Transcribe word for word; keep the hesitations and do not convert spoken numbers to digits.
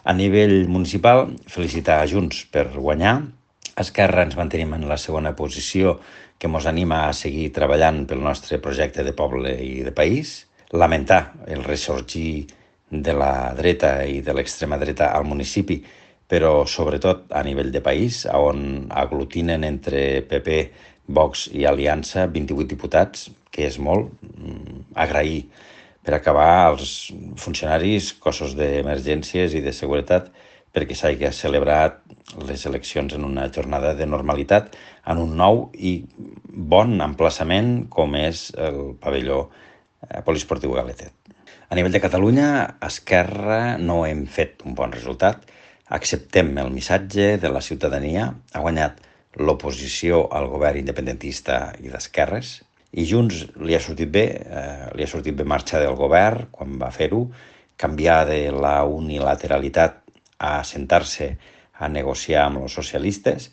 A nivell municipal, felicitar a Junts per guanyar. A Esquerra ens mantenim en la segona posició, que ens anima a seguir treballant pel nostre projecte de poble i de país. Lamentar el ressorgir de la dreta i de l'extrema dreta al municipi, però sobretot a nivell de país, on aglutinen entre P P, Vox i Aliança vint-i-vuit diputats, que és molt. Agrair per acabar als funcionaris, cossos d'emergències i de seguretat, perquè s'hagi celebrat les eleccions en una jornada de normalitat en un nou i bon emplaçament com és el pavelló poliesportiu Galetet. A nivell de Catalunya, a Esquerra no hem fet un bon resultat. Acceptem el missatge de la ciutadania. Ha guanyat l'oposició al govern independentista i d'esquerres. I Junts li ha sortit bé, eh, li ha sortit bé marxar del govern quan va fer-ho, canviar de la unilateralitat a sentar-se a negociar amb els socialistes.